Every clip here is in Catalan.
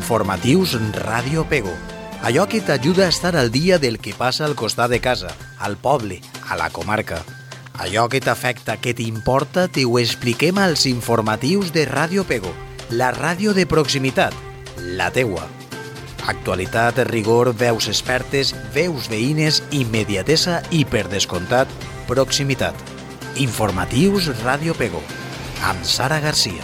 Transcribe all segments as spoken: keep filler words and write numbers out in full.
Informatius Ràdio Pego. Allò que t'ajuda a estar al dia del que passa al costat de casa, al poble, a la comarca. Allò que t'afecta, que t'importa, te ho expliquem als informatius de Ràdio Pego, la ràdio de proximitat, la teua. Actualitat, rigor, veus expertes, veus veïnes, immediatesa i, per descomptat, proximitat. Informatius Ràdio Pego, amb Sara Garcia.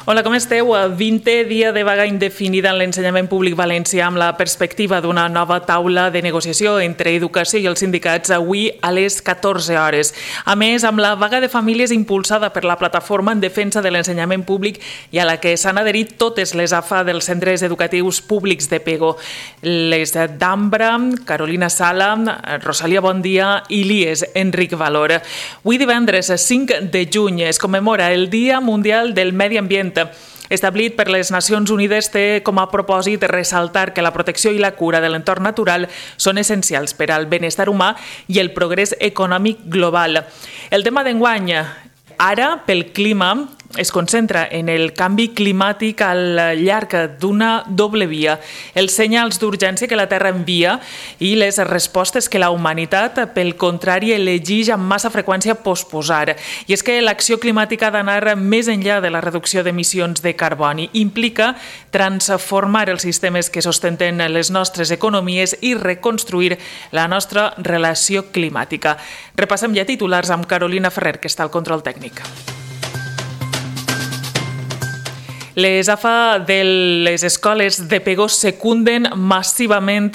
Hola, com esteu? vintè dia de vaga indefinida en l'ensenyament públic valencià amb la perspectiva d'una nova taula de negociació entre educació i els sindicats avui a les catorze hores. A més, amb la vaga de famílies impulsada per la plataforma en defensa de l'ensenyament públic i a la que s'han adherit totes les A F A dels centres educatius públics de Pego. Les d'Ambra, Carolina Sala, Rosalia Bondia i l'I E S Enric Valor. Avui divendres cinc de juny es commemora el Dia Mundial del Medi Ambient. Establit per les Nacions Unides, té com a propòsit ressaltar que la protecció i la cura de l'entorn natural són essencials per al benestar humà i el progrés econòmic global. El tema d'enguany, ara, pel clima, es concentra en el canvi climàtic al llarg d'una doble via, els senyals d'urgència que la Terra envia i les respostes que la humanitat, pel contrari, elegeix amb massa freqüència posposar. I és que l'acció climàtica ha d'anar més enllà de la reducció d'emissions de carboni. Implica transformar els sistemes que sostenten les nostres economies i reconstruir la nostra relació climàtica. Repassem ja titulars amb Carolina Ferrer, que està al control tècnic. Les A F A de les escoles de Pego secunden massivament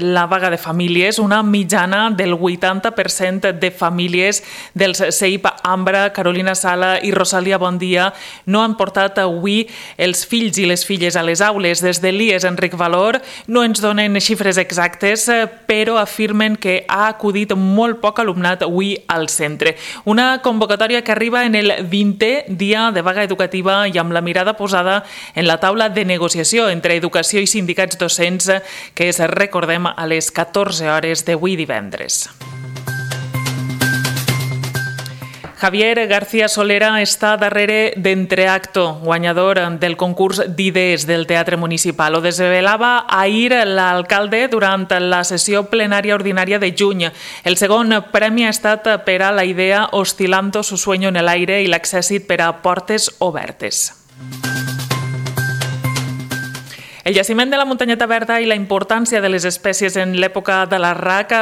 la vaga de famílies. Una mitjana del vuitanta per cent de famílies dels C I P Ambra, Carolina Sala i Rosalia Bondia no han portat avui els fills i les filles a les aules. Des de l'I E S Enric Valor no ens donen xifres exactes, però afirmen que ha acudit molt poc alumnat avui al centre. Una convocatòria que arriba en el vintè dia de vaga educativa i amb la mirada posada en la taula de negociació entre educació i sindicats docents que es recordem a les catorze hores d'avui divendres. Javier García Solera està darrere d'Entreacto, guanyador del concurs d'idees del Teatre Municipal. Ho desvelava ahir l'alcalde durant la sessió plenària ordinària de juny. El segon premi ha estat per a la idea Oscilando su sueño en el aire i l'accèssit per a Portes Obertes. El jaciment de la muntanyeta verda i la importància de les espècies en l'època de l'arrac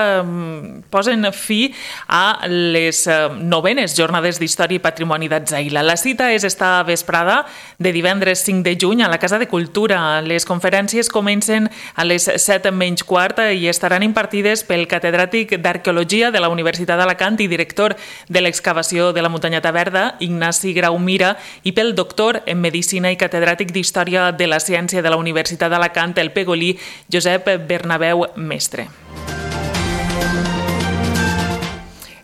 posen fi a les novenes jornades d'Història i Patrimoni d'Atzaïla. La cita és esta vesprada de divendres cinc de juny a la Casa de Cultura. Les conferències comencen a les set menys quart i estaran impartides pel catedràtic d'Arqueologia de la Universitat d'Alacant i director de l'excavació de la muntanyeta verda, Ignasi Graumira, i pel doctor en Medicina i catedràtic d'Història de la Ciència de la Universitat d'Alacant, el pegolí Josep Bernabéu Mestre.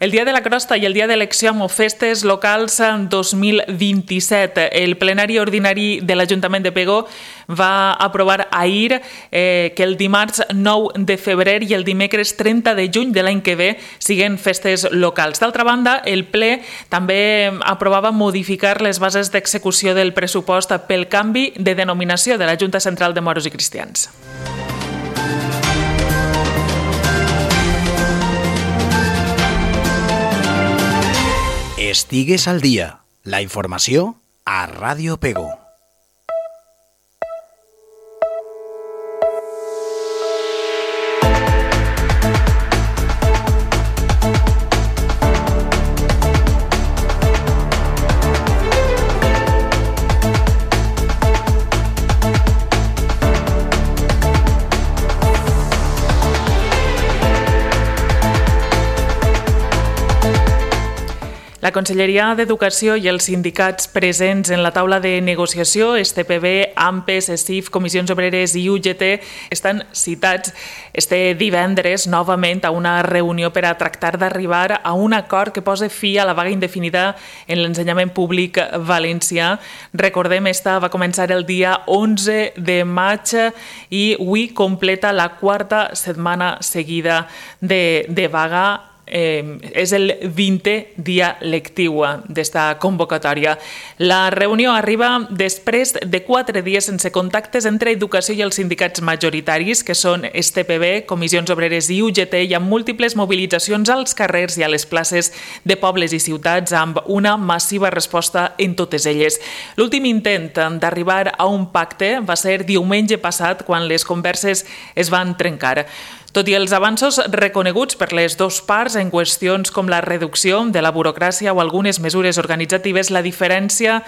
El Dia de la Crosta i el Dia d'Elecció amb Festes Locals dos mil vint-i-set. El plenari ordinari de l'Ajuntament de Pego va aprovar ahir eh, que el dimarts nou de febrer i el dimecres trenta de juny de l'any que ve siguen festes locals. D'altra banda, el ple també aprovava modificar les bases d'execució del pressupost pel canvi de denominació de la Junta Central de Moros i Cristians. Estigues al dia. La informació a Ràdio Pego. La Conselleria d'Educació i els sindicats presents en la taula de negociació, S T P B, AMPES, E S I F, Comissions Obreres i U G T, estan citats este divendres novament a una reunió per a tractar d'arribar a un acord que posa fi a la vaga indefinida en l'ensenyament públic valencià. Recordem, esta va començar el dia onze de maig i avui completa la quarta setmana seguida de, de vaga. Eh, és el vintè dia lectiu d'esta convocatòria. La reunió arriba després de quatre dies sense contactes entre educació i els sindicats majoritaris, que són S T P B, Comissions Obreres i U G T, i amb múltiples mobilitzacions als carrers i a les places de pobles i ciutats, amb una massiva resposta en totes elles. L'últim intent d'arribar a un pacte va ser diumenge passat, quan les converses es van trencar. Tot i els avanços reconeguts per les dues parts en qüestions com la reducció de la burocràcia o algunes mesures organitzatives, la diferència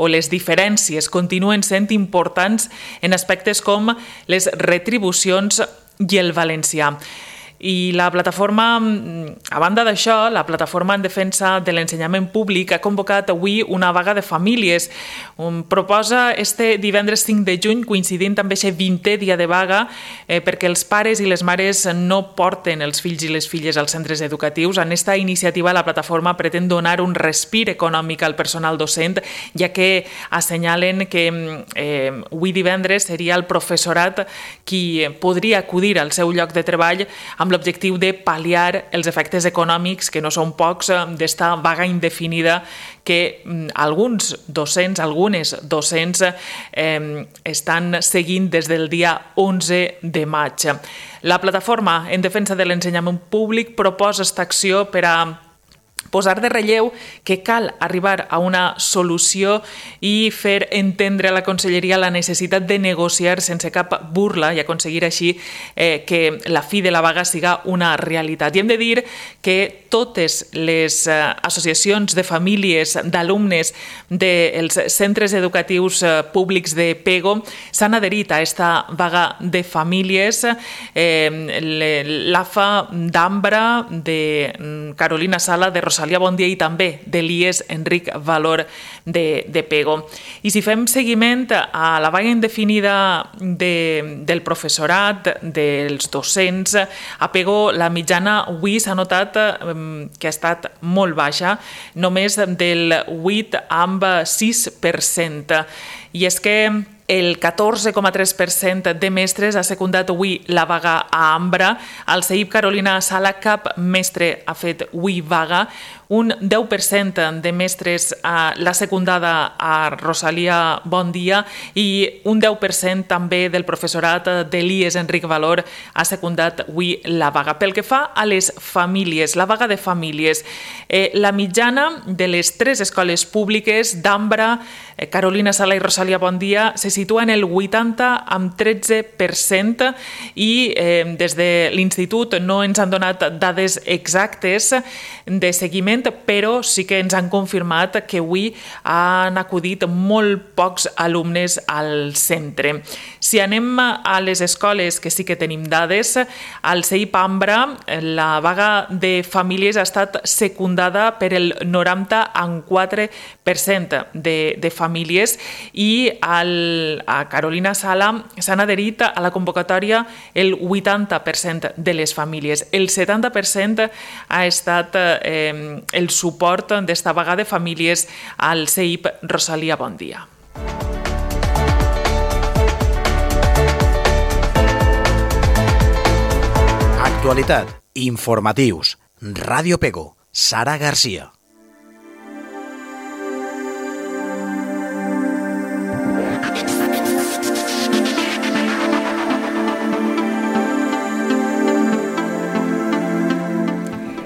o les diferències continuen sent importants en aspectes com les retribucions i el valencià. I la plataforma, a banda d'això, la plataforma en defensa de l'ensenyament públic ha convocat avui una vaga de famílies. Proposa este divendres cinc de juny, coincidint amb aquest vintè dia de vaga, eh, perquè els pares i les mares no porten els fills i les filles als centres educatius. En esta iniciativa, la plataforma pretén donar un respir econòmic al personal docent, ja que assenyalen que eh, avui divendres seria el professorat qui podria acudir al seu lloc de treball amb l'objectiu de pal·liar els efectes econòmics, que no són pocs, d'esta vaga indefinida que alguns docents, algunes docents, eh, estan seguint des del dia onze de maig. La plataforma en defensa de l'ensenyament públic proposa esta acció per a posar de relleu que cal arribar a una solució i fer entendre a la Conselleria la necessitat de negociar sense cap burla i aconseguir així eh, que la fi de la vaga siga una realitat. I hem de dir que totes les eh, associacions de famílies, d'alumnes dels centres educatius eh, públics de Pego s'han adherit a esta vaga de famílies. Eh, L'A F A d'Ambra, de Carolina Sala, de Rosalia Bondia i també de l'I E S Enric Valor de, de Pego. I si fem seguiment a la vaga indefinida de, del professorat, dels docents, a Pego la mitjana avui s'ha notat eh, que ha estat molt baixa, només del vuit amb sis per cent. I és que el catorze coma tres per cent de mestres ha secundat avui la vaga a Ambra. Al C I P Carolina Sala cap mestre ha fet avui vaga. Un deu per cent de mestres l'ha secundada a Rosalia Bondia i un deu per cent també del professorat de l'I E S Enric Valor ha secundat avui la vaga. Pel que fa a les famílies, la vaga de famílies, eh, la mitjana de les tres escoles públiques d'Ambra, eh, Carolina Sala i Rosalia Bondia se situa en el vuitanta amb tretze per cent i eh, des de l'Institut no ens han donat dades exactes de seguiment, però sí que ens han confirmat que avui han acudit molt pocs alumnes al centre. Si anem a les escoles, que sí que tenim dades, al C I P Ambra la vaga de famílies ha estat secundada per el noranta amb quatre per cent de, de famílies i al, a Carolina Sala s'han adherit a la convocatòria el vuitanta per cent de les famílies. El setanta per cent ha estat eh, el suport d'esta vaga de famílies al C I P Rosalia Bondia. Actualitat, informatius, Ràdio Pego, Sara Garcia.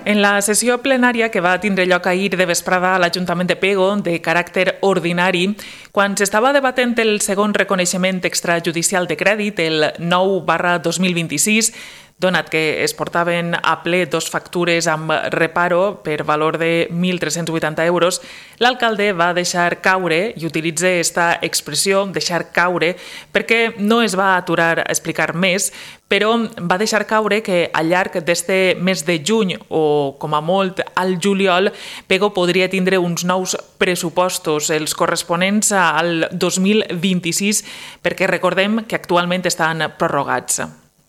En la sessió plenària que va tindre lloc ahir de vesprada a l'Ajuntament de Pego, de caràcter ordinari, quan s'estava debatent el segon reconeixement extrajudicial de crèdit, el nou barra dos mil vint-i-sis, donat que es portaven a ple dos factures amb reparo per valor de mil tres-cents vuitanta euros, l'alcalde va deixar caure, i utilitza aquesta expressió, deixar caure, perquè no es va aturar a explicar més, però va deixar caure que al llarg d'este mes de juny o, com a molt, al juliol, Pego podria tindre uns nous pressupostos, els corresponents al dos mil vint-i-sis, perquè recordem que actualment estan prorrogats.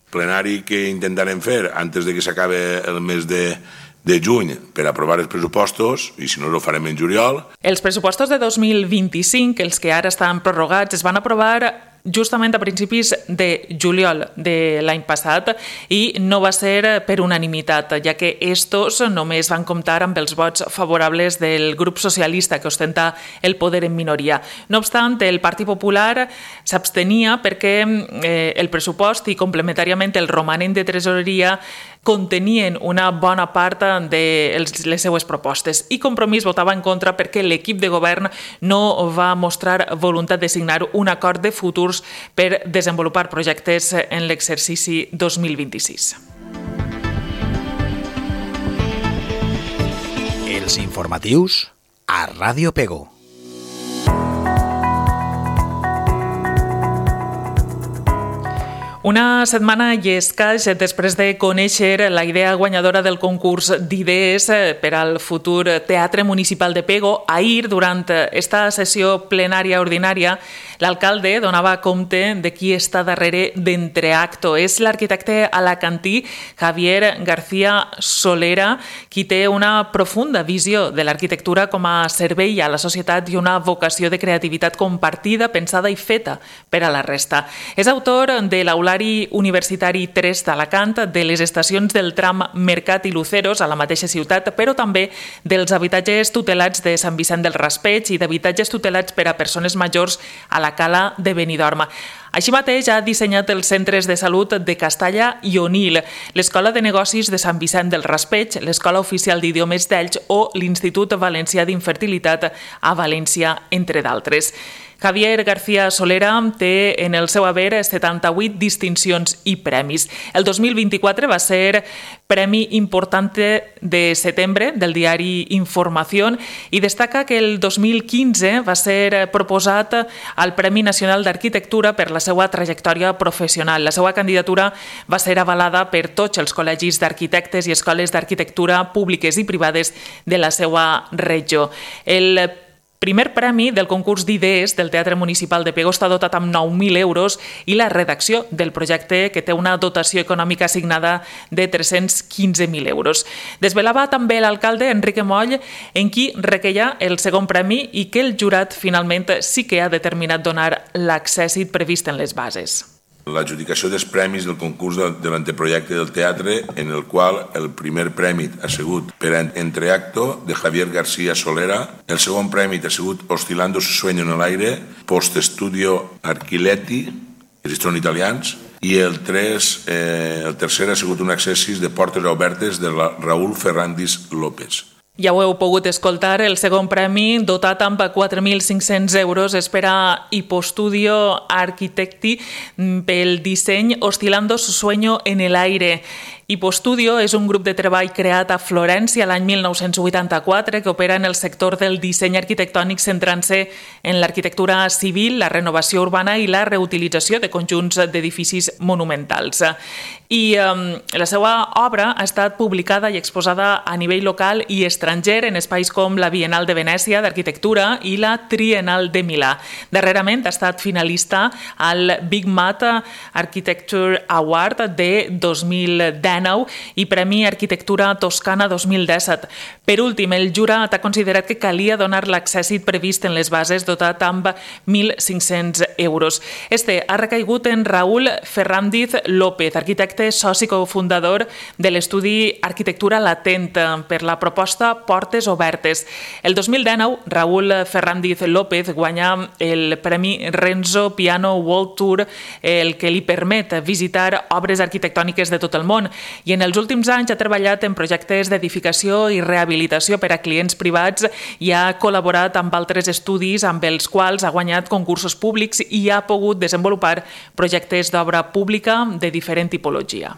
Plenari que intentarem fer antes de que s'acabe el mes de, de juny per aprovar els pressupostos, i si no ho farem en juliol. Els pressupostos de dos mil vint-i-cinc, els que ara estan prorrogats, es van aprovar justament a principis de juliol de l'any passat i no va ser per unanimitat, ja que estos només van comptar amb els vots favorables del grup socialista que ostenta el poder en minoria. No obstant, el Partit Popular s'abstenia perquè eh, el pressupost i complementàriament el romanent de tresoreria contenien una bona part de les seues propostes i Compromís votava en contra perquè l'equip de govern no va mostrar voluntat de signar un acord de futurs per desenvolupar projectes en l'exercici dos mil vint-i-sis. Els informatius a Ràdio Pego. Una setmana i escaig després de conèixer la idea guanyadora del concurs d'idees per al futur Teatre Municipal de Pego, ahir, durant esta sessió plenària ordinària, l'alcalde donava compte de qui està darrere d'Entreacto. És l'arquitecte alacantí Javier García Solera, qui té una profunda visió de l'arquitectura com a servei a la societat i una vocació de creativitat compartida, pensada i feta per a la resta. És autor de l'Aulari Universitari tres d'Alacant, de les estacions del tram Mercat i Luceros a la mateixa ciutat, però també dels habitatges tutelats de Sant Vicent del Raspeig i d'habitatges tutelats per a persones majors a la Cala de Benidorm. Així mateix ha dissenyat els centres de salut de Castalla i Onil, l'Escola de Negocis de Sant Vicent del Raspeig, l'Escola Oficial d'Idiomes d'Elx o l'Institut Valencià d'Infertilitat a València, entre d'altres. Javier García Solera té en el seu haver setanta-vuit distincions i premis. El dos mil vint-i-quatre va ser Premi Importante de setembre del diari Información i destaca que el dos mil quinze va ser proposat al Premi Nacional d'Arquitectura per la seva trajectòria professional. La seva candidatura va ser avalada per tots els col·legis d'arquitectes i escoles d'arquitectura públiques i privades de la seva regió. El primer premi del concurs d'idees del Teatre Municipal de Pego està dotat amb nou mil euros i la redacció del projecte, que té una dotació econòmica assignada de tres-cents quinze mil euros. Desvelava també l'alcalde Enrique Moll en qui requeia el segon premi i que el jurat finalment sí que ha determinat donar l'accèssit previst en les bases. L'adjudicació dels premis del concurs de l'anteprojecte del teatre, en el qual el primer premi ha sigut per Entreacto, de Javier García Solera, el segon premi ha sigut Oscilando su sueño en el aire, Post-Studio Archiletti, els són italians, i el, tres, eh, el tercer ha sigut un accessis de Portes Obertes de la Raúl Ferrandis López. Ja ho heu pogut escoltar, el segon premi, dotat amb quatre mil cinc-cents euros, és per a Hipostudio Architecti pel disseny Oscilando su sueño en el aire. Hipostudio és un grup de treball creat a Florència l'any mil nou-cents vuitanta-quatre que opera en el sector del disseny arquitectònic centrant-se en l'arquitectura civil, la renovació urbana i la reutilització de conjunts d'edificis monumentals. I eh, la seva obra ha estat publicada i exposada a nivell local i estranger en espais com la Bienal de Venècia d'Arquitectura i la Triennal de Milà. Darrerament ha estat finalista al Big Mat Architecture Award de dos mil deu i Premi Arquitectura Toscana dos mil disset. Per últim, el jurat ha considerat que calia donar l'accèssit previst en les bases dotat amb mil cinc-cents euros. Este ha recaigut en Raúl Ferrandis López, arquitecte soci cofundador de l'estudi Arquitectura Latent per la proposta Portes Obertes. El dos mil dinou, Raúl Ferrandis López guanya el Premi Renzo Piano World Tour, el que li permet visitar obres arquitectòniques de tot el món. I en els últims anys ha treballat en projectes d'edificació i rehabilitació per a clients privats i ha col·laborat amb altres estudis amb els quals ha guanyat concursos públics i ha pogut desenvolupar projectes d'obra pública de diferent tipologia.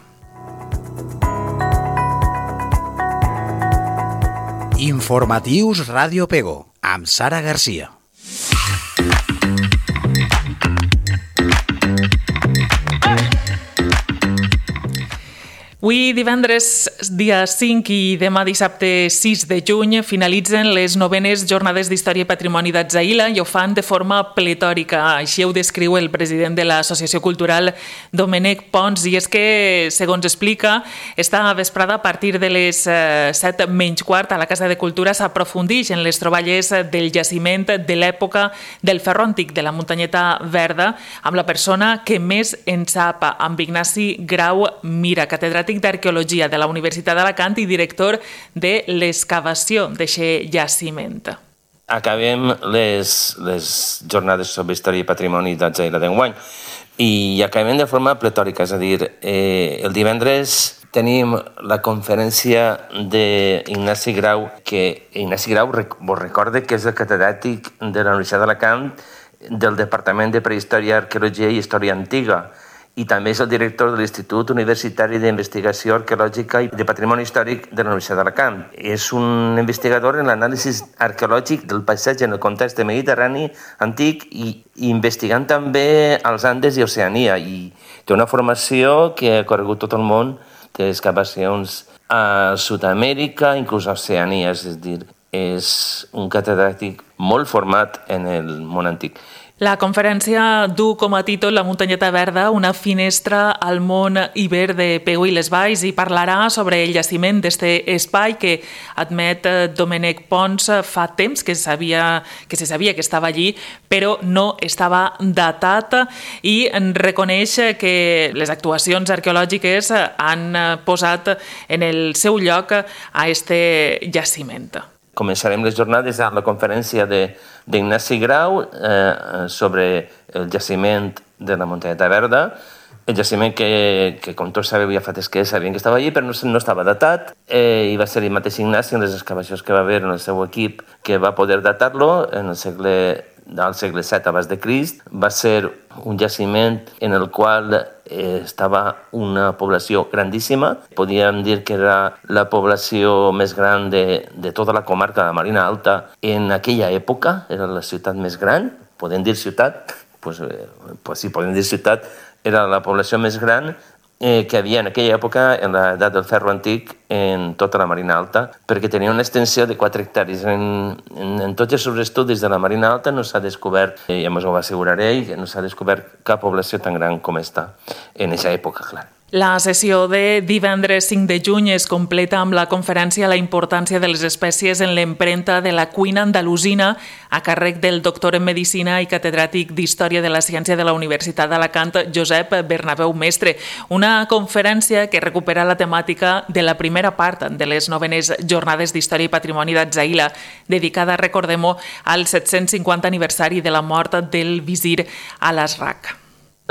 Informatius Ràdio Pego, amb Sara Garcia. Avui divendres, dia cinc i demà dissabte sis de juny finalitzen les novenes Jornades d'Història i Patrimoni d'Atzaïla i ho fan de forma pletòrica. Així ho descriu el president de l'Associació Cultural, Domènec Pons, i és que, segons explica, esta vesprada a partir de les set menys quart a la Casa de Cultura s'aprofundix en les troballes del jaciment de l'època del ferro antic de la Muntanyeta Verda amb la persona que més en sap, amb Ignasi Grau Mira, catedràtic d'Arqueologia de la Universitat d'Alacant i director de l'excavació d'aquest jaciment. Acabem les, les jornades sobre història i patrimoni d'Atzaïla d'enguany i acabem de forma pletòrica, és a dir, eh, el divendres tenim la conferència d'Ignasi Grau, que Ignasi Grau vos recorde que és el catedràtic de la Universitat d'Alacant del Departament de Prehistòria, Arqueologia i Història Antiga, i també és el director de l'Institut Universitari d'Investigació Arqueològica i de Patrimoni Històric de la Universitat d'Alacant. És un investigador en l'anàlisi arqueològic del paisatge en el context mediterrani antic i investigant també els Andes i Oceania. I té una formació que ha corregut tot el món, té excavacions a Sud-amèrica, inclús a Oceania, és a dir, és un catedràtic molt format en el món antic. La conferència du com a títol La Muntanyeta Verda, una finestra al món iber de Pego i les Valls, i parlarà sobre el jaciment d'aquest espai que admet Domènec Pons fa temps que, sabia, que se sabia que estava allí, però no estava datat, i reconeix que les actuacions arqueològiques han posat en el seu lloc a aquest jaciment. Començarem les jornades amb la conferència d'Ignasi Grau eh, sobre el jaciment de la Muntanyeta Verda, el jaciment que, que com tots sabeu, ja fa temps que sabien que estava allí, però no, no estava datat, eh, i va ser el mateix Ignasi en les excavacions que va haver en el seu equip que va poder datar-lo en el segle del segle set abans de Crist. Va ser un jaciment en el qual eh, estava una població grandíssima. Podríem dir que era la població més gran de, de tota la comarca de la Marina Alta en aquella època. Era la ciutat més gran. Podem dir ciutat? Pues, eh, pues sí, podem dir ciutat. Era la població més gran eh, que havia en aquella època, en l'edat del ferro antic, en tota la Marina Alta, perquè tenia una extensió de quatre hectàrees. En, en, en tots els seus estudis de la Marina Alta no s'ha descobert, i ja us ho asseguraré, que no s'ha descobert cap població tan gran com està en aquesta època, clar. La sessió de divendres cinc de juny es completa amb la conferència La importància de les espècies en l'empremta de la cuina andalusina, a càrrec del doctor en Medicina i catedràtic d'Història de la Ciència de la Universitat d'Alacant, Josep Bernabéu Mestre. Una conferència que recupera la temàtica de la primera part de les novenes Jornades d'Història i Patrimoni d'Atzaïla, dedicada, recordem-ho, al set-cents cinquanta aniversari de la mort del visir Al-Azraq.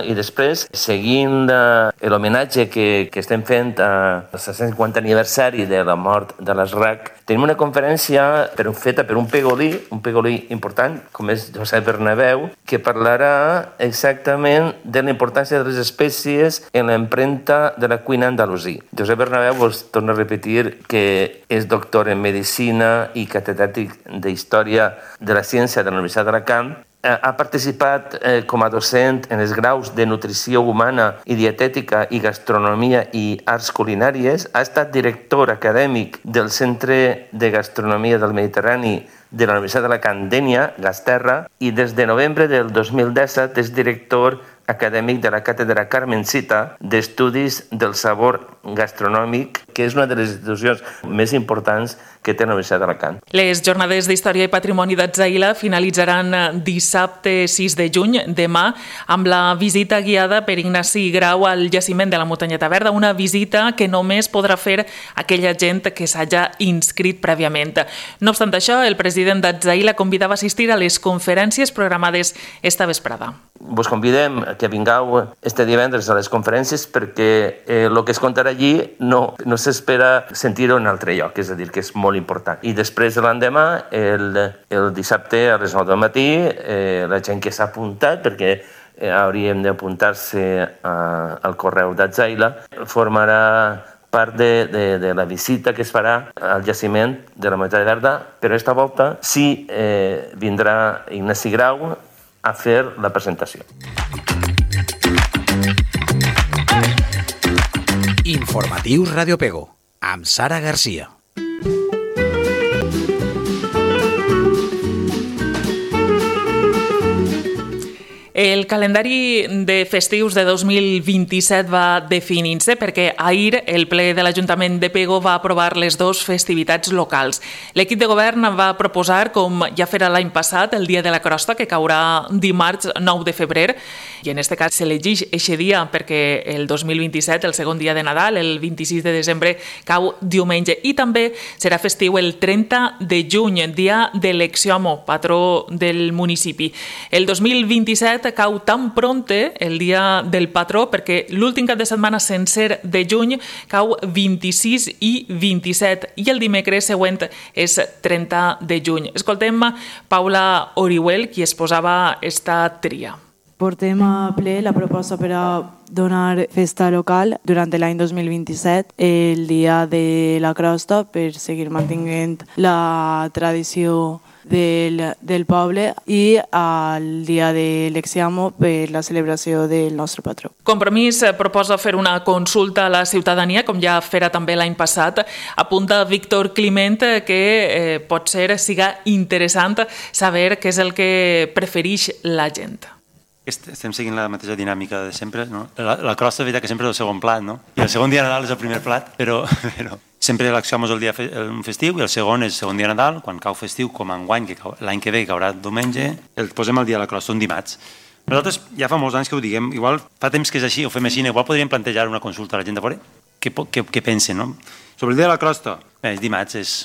I després, seguint eh, l'homenatge que, que estem fent al set-cents cinquanta aniversari de la mort de l'Azraq, tenim una conferència per, feta per un pegolí, un pegolí important, com és Josep Bernabéu, que parlarà exactament de la importància de les espècies en l'empremta de la cuina andalusí. Josep Bernabéu, vos torno a repetir que és doctor en Medicina i catedràtic d'Història de la Ciència de la Universitat d'Alacant. Ha participat eh, com a docent en els graus de Nutrició Humana i Dietètica i Gastronomia i Arts Culinàries. Ha estat director acadèmic del Centre de Gastronomia del Mediterrani de la Universitat d'Alacant, Dénia, Gasterra, i des de novembre del dos mil disset és director acadèmic de la Càtedra Carmencita d'Estudis del Sabor Gastronòmic, que és una de les institucions més importants que té la Universitat d'Alacant. Les Jornades d'Història i Patrimoni d'Atzaïla finalitzaran dissabte sis de juny, demà, amb la visita guiada per Ignasi Grau al jaciment de la Muntanyeta Verda, una visita que només podrà fer aquella gent que s'hagi inscrit prèviament. No obstant això, el president d'Atzaïla convidava a assistir a les conferències programades esta vesprada. Vos convidem que vingueu este divendres a les conferències perquè eh, el que es contarà allí no, no s'espera sentir-ho en altre lloc, és a dir, que és molt important. I després de l'endemà, el, el dissabte a les nou del matí, eh, la gent que s'ha apuntat, perquè eh, hauríem d'apuntar-se al correu d'Atzaïla, formarà part de, de, de la visita que es farà al jaciment de la muntanya verda, però esta volta sí eh, vindrà Ignasi Grau a fer la presentació. Informatius Radio Pego, amb Sara Garcia. El calendari de festius de dos mil vint-i-set va definint-se perquè ahir el ple de l'Ajuntament de Pego va aprovar les dues festivitats locals. L'equip de govern va proposar, com ja fera l'any passat, el Dia de la Crosta, que caurà dimarts nou de febrer, i en aquest cas s'elegeix aquest dia perquè el dos mil vint-i-set, el segon dia de Nadal, el vint-i-sis de desembre, cau diumenge. I també serà festiu el trenta de juny, dia de l'Exiòmo, patró del municipi. El dos mil vint-i-set cau tan pronte el dia del patró perquè l'últim cap de setmana sencer de juny cau vint-i-sis i vint-i-set i el dimecres següent és trenta de juny. Escoltem Paula Orihuel, qui exposava esta tria. Portem a ple la proposta per a donar festa local durant l'any dos mil vint-i-set, el dia de la crosta, per seguir mantenint la tradició del, del poble, i el dia de l'Exiòmo per la celebració del nostre patró. Compromís proposa fer una consulta a la ciutadania, com ja fera també l'any passat. Apunta Víctor Climent que eh, pot ser siga interessant saber què és el que prefereix la gent. Estem seguint la mateixa dinàmica de sempre, no? La, la crosta, de veritat, que sempre és el segon plat, no? I el segon dia de Nadal és el primer plat, però, però sempre l'Exiòmo és el dia fe, el festiu i el segon és el segon dia de Nadal, quan cau festiu, com enguany, que l'any que ve caurà diumenge, el posem el dia de la crosta, un dimarts. Nosaltres ja fa molts anys que ho diguem, igual fa temps que és així, ho fem així, igual podríem plantejar una consulta a la gent de fora, què, què, què pensen, no? Sobre el dia de la crosta, bé, és dimarts, és,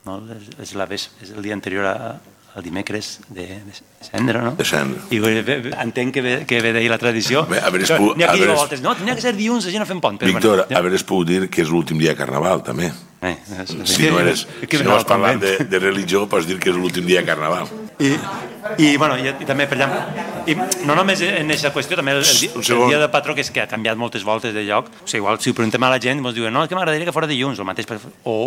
no? és, és, la, és el dia anterior a el dimecres de, de cendre, no? De cendre. I entenc que ve, que ve d'ahir la tradició. Bé, a veure, pu- N'hi ha qui diu a veure, voltes, no, tenia que ser dilluns, així no fem pont. Però, Víctor, bueno, ja. a veure, es puc dir que és l'últim dia de Carnaval, també. Eh, és, Si no, eres, si no vas parlant de, de religió, pots dir que és l'últim dia de Carnaval. I, i, bueno, i, i també, per exemple, i no només en aquesta qüestió, també el, el, el, el dia del patró, que és que ha canviat moltes voltes de lloc. O sigui, igual, si ho preguntem a la gent, ens diuen, no, és que m'agradaria que fora dilluns, el mateix, o,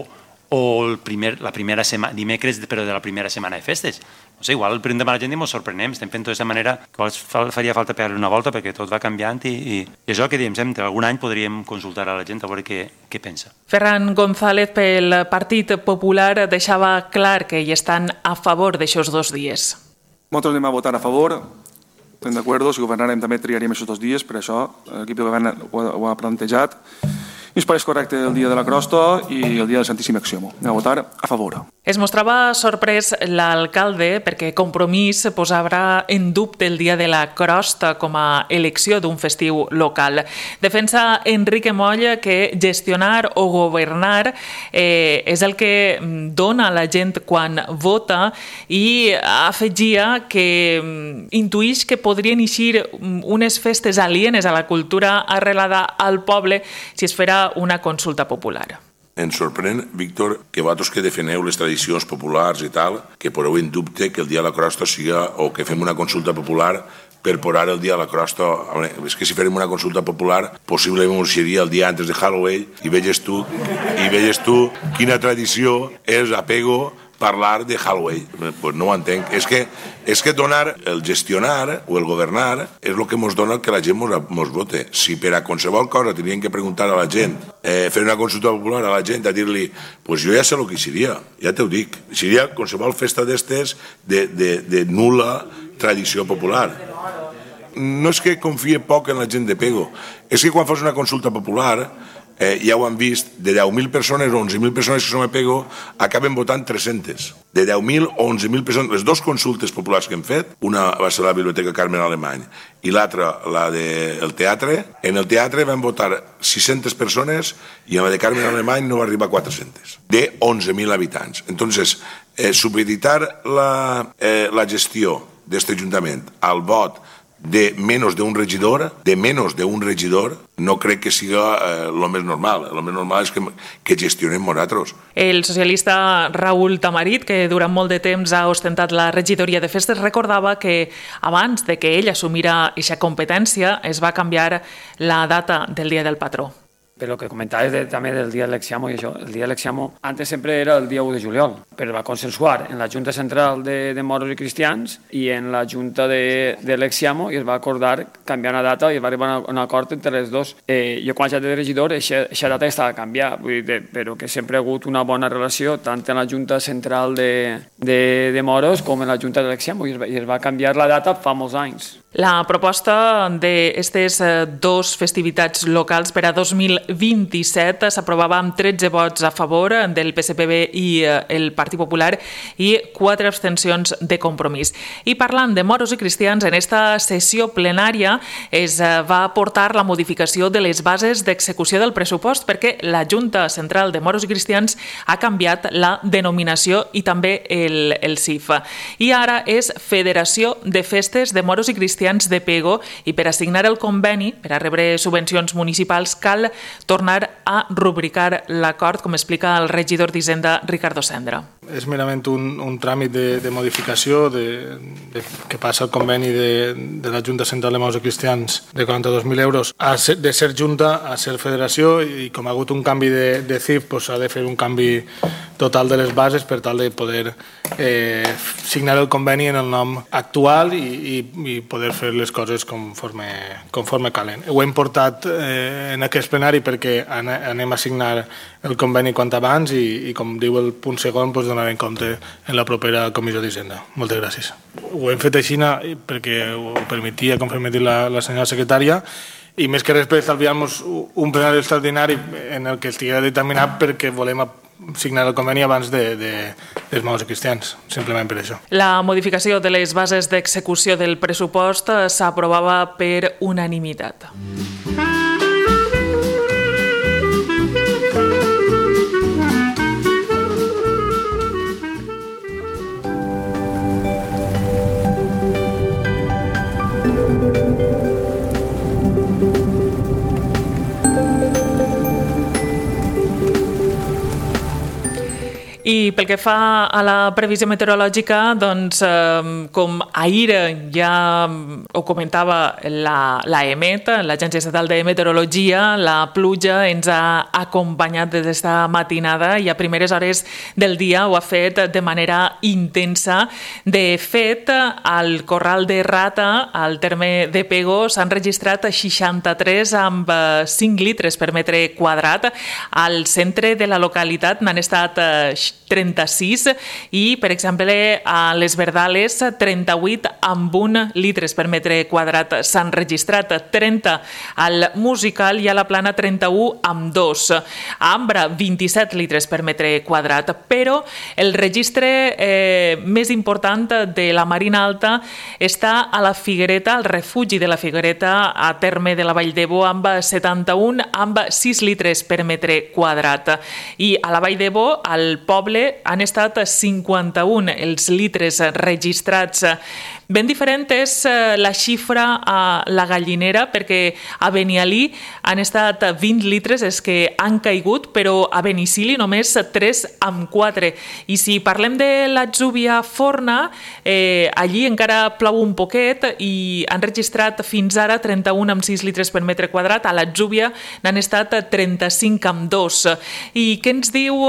o el primer, la primera setmana, dimecres, però de la primera setmana de festes. No sé, igual el preguntem a la gent i ens sorprenem, estem fent d'aquesta manera que faria falta pegar-li una volta perquè tot va canviant i, i, i això que diem sempre, algun any podríem consultar a la gent a veure què, què pensa. Ferran González, pel Partit Popular, deixava clar que hi estan a favor d'aixòs dos dies. Nosaltres anem a votar a favor, estem d'acord, si governarem també triaríem aquests dos dies, per això l'equip de govern ho ha, ho ha plantejat. I ens pareix correcte el dia de la crosta i el dia del Santíssim Exiòmo. Anem a votar a favor. Es mostrava sorprès l'alcalde perquè Compromís posava en dubte el dia de la crosta com a elecció d'un festiu local. Defensa Enrique Moll que gestionar o governar eh, és el que dona la gent quan vota i afegia que intuïx que podrien eixir unes festes alienes a la cultura arrelada al poble si es farà una consulta popular. Ens sorprèn, Víctor, que vosaltres que defeneu les tradicions populars i tal, que poseu en dubte que el dia de la crosta siga, o que fem una consulta popular per posar el dia de la crosta. És que si farem una consulta popular, possiblement seria el dia antes de Halloween, i veges tu, i veges tu quina tradició és a Pego parlar de Halloween. Pues no ho entenc. És que, és que donar, el gestionar o el governar és el que ens dona que la gent ens vote. Si per a qualsevol cosa tenien que preguntar a la gent, eh, fer una consulta popular a la gent, a dir-li, pues jo ja sé el que seria, ja t'ho dic. Seria qualsevol festa d'estes de, de, de nul·la tradició popular. No és que confie poc en la gent de Pego, és que quan fas una consulta popular, eh, ja ho han vist, de deu mil persones o onze mil persones que som a Pego, acaben votant tres-centes. De deu mil o onze mil persones, les dues consultes populars que hem fet, una va ser la Biblioteca Carmen Alemany i l'altra la del teatre, en el teatre van votar sis-centes persones i en la de Carmen Alemany no va arribar a quatre-centes, de onze mil habitants. Entonces, eh, supeditar la, eh, la gestió d'aquest ajuntament al vot de menos de un regidor, de menos de un regidor, no crec que siga eh, lo més normal. Lo més normal és que, que gestionem nosaltres. El socialista Raúl Tamarit, que durant molt de temps ha ostentat la regidoria de festes, recordava que abans de que ell assumira aquesta competència es va canviar la data del dia del patró. Però el que comentaves de, també del dia de l'Exiamo i això, el dia de l'Exiamo antes sempre era el dia u de juliol, però va consensuar en la Junta Central de, de Moros i Cristians i en la Junta de, de l'Exiamo i es va acordar canviar una data i es va arribar a un acord entre les dos. Eh, jo quan ja de regidor, aquesta data estava a canviar, vull dir, però que sempre ha hagut una bona relació tant en la Junta Central de, de, de Moros com en la Junta de l'Exiamo i, i es va canviar la data fa molts anys. La proposta d'aquestes dos festivitats locals per a dos mil vint-i-set s'aprovava amb tretze vots a favor del P S P B i el Partit Popular i quatre abstencions de Compromís. I parlant de moros i cristians, en esta sessió plenària es va aportar la modificació de les bases d'execució del pressupost perquè la Junta Central de Moros i Cristians ha canviat la denominació i també el, el C I F. I ara és Federació de Festes de Moros i Cristians de Pego i per assignar el conveni, per a rebre subvencions municipals, cal tornar a rubricar l'acord, com explica el regidor d'Hisenda, Ricardo Sendra. És merament un, un tràmit de, de modificació de, de, que passa el conveni de, de la Junta Central de Moros i Cristians de quaranta-dos mil euros a ser, de ser Junta a ser Federació i com ha hagut un canvi de, de C I F s'ha doncs, de fer un canvi total de les bases per tal de poder eh, signar el conveni en el nom actual i, i, i poder fer les coses conforme, conforme calen. Ho hem portat eh, en aquest plenari perquè anem a signar el conveni quant abans i, i com diu el punt segon, doncs donarem compte en la propera comissió d'Hisenda. Moltes gràcies. Ho hem fet així perquè ho permetia, com permetia la, la senyora secretària, i més que res per estalviar-nos un plenari extraordinari en el que estigui determinat perquè volem signar el conveni abans de, de, dels moros i cristians, simplement per això. La modificació de les bases d'execució del pressupost s'aprovava per unanimitat. I pel que fa a la previsió meteorològica, doncs, eh, com ahir ja ho comentava la, la EMET, l'Agència Estatal de Meteorologia, la pluja ens ha acompanyat des d'esta matinada i a primeres hores del dia ho ha fet de manera intensa. De fet, al Corral de Rata, al terme de Pego, s'han registrat seixanta-tres amb cinc litres per metre quadrat. Al centre de la localitat n'han estat trenta-sis i, per exemple, a les Verdales, trenta-vuit amb un litres per metre quadrat s'han registrat, trenta al Musical i a la Plana trenta-u amb dos. A Ambra, vint-i-set litres per metre quadrat, però el registre eh, més important de la Marina Alta està a la Figuereta, al refugi de la Figuereta, a terme de la Vall d'Ebo, amb setanta-un amb sis litres per metre quadrat. I a la Vall d'Ebo, al poble, han estat cinquanta-un els litres registrats. Ben diferent és la xifra a la Gallinera, perquè a Benialí han estat vint litres els que han caigut, però a Benicili només tres amb quatre. I si parlem de l'Atzúbia Forna, eh, allí encara plou un poquet i han registrat fins ara trenta-un amb sis litres per metre quadrat. A l'Atzúbia n'han estat trenta-cinc amb dos. I què ens diu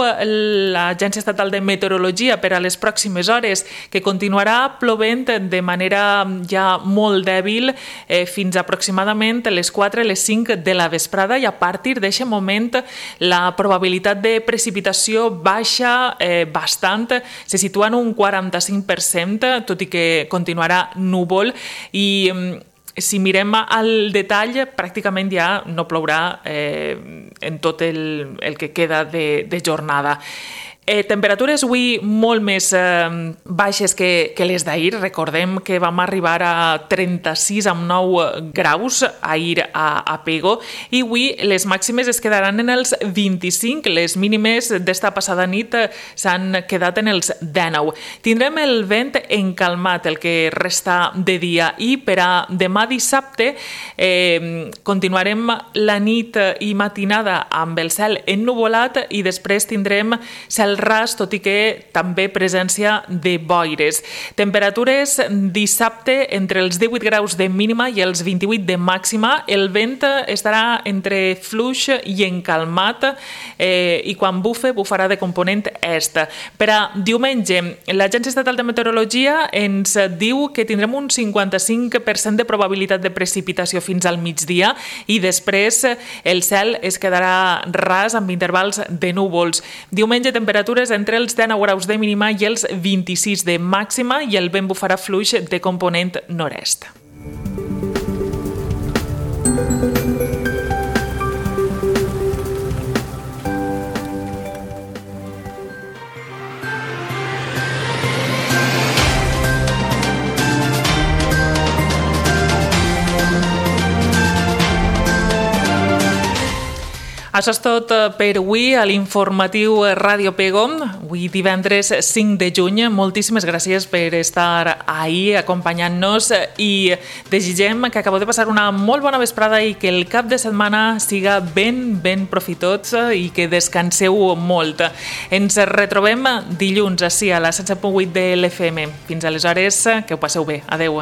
l'Agència Estatal de Meteorologia per a les pròximes hores? Que continuarà plovent de manera ja molt dèbil eh, fins aproximadament les quatre, les cinc de la vesprada, i a partir d'aquest moment la probabilitat de precipitació baixa eh, bastant, se situa en un quaranta-cinc per cent, tot i que continuarà núvol, i si mirem al detall, pràcticament ja no plourà eh, en tot el, el que queda de, de jornada. Eh, temperatures avui molt més eh, baixes que, que les d'ahir. Recordem que vam arribar a trenta-sis amb nou graus ahir a, a Pego, i avui les màximes es quedaran en els vint-i-cinc. Les mínimes d'esta passada nit s'han quedat en els dinou. Tindrem el vent encalmat el que resta de dia, i per a demà dissabte eh, continuarem la nit i matinada amb el cel ennuvolat i després tindrem cel ras, tot i que també presència de boires. Temperatures dissabte entre els divuit graus de mínima i els vint-i-vuit de màxima. El vent estarà entre fluix i encalmat eh, i quan bufe, bufarà de component est. Per a diumenge, l'Agència Estatal de Meteorologia ens diu que tindrem un cinquanta-cinc per cent de probabilitat de precipitació fins al migdia i després el cel es quedarà ras amb intervals de núvols. Diumenge, temperatures entre els dinou graus de mínima i els vint-i-sis de màxima i el vent bufarà fluix de component nord-est. Això és tot per avui a l'informatiu Ràdio Pego, avui divendres cinc de juny. Moltíssimes gràcies per estar ahí acompanyant-nos i desitgem que acabeu de passar una molt bona vesprada i que el cap de setmana siga ben, ben profitós i que descanseu molt. Ens retrobem dilluns ací a la setze punt vuit de l'F M. Fins aleshores, que ho passeu bé. Adeu.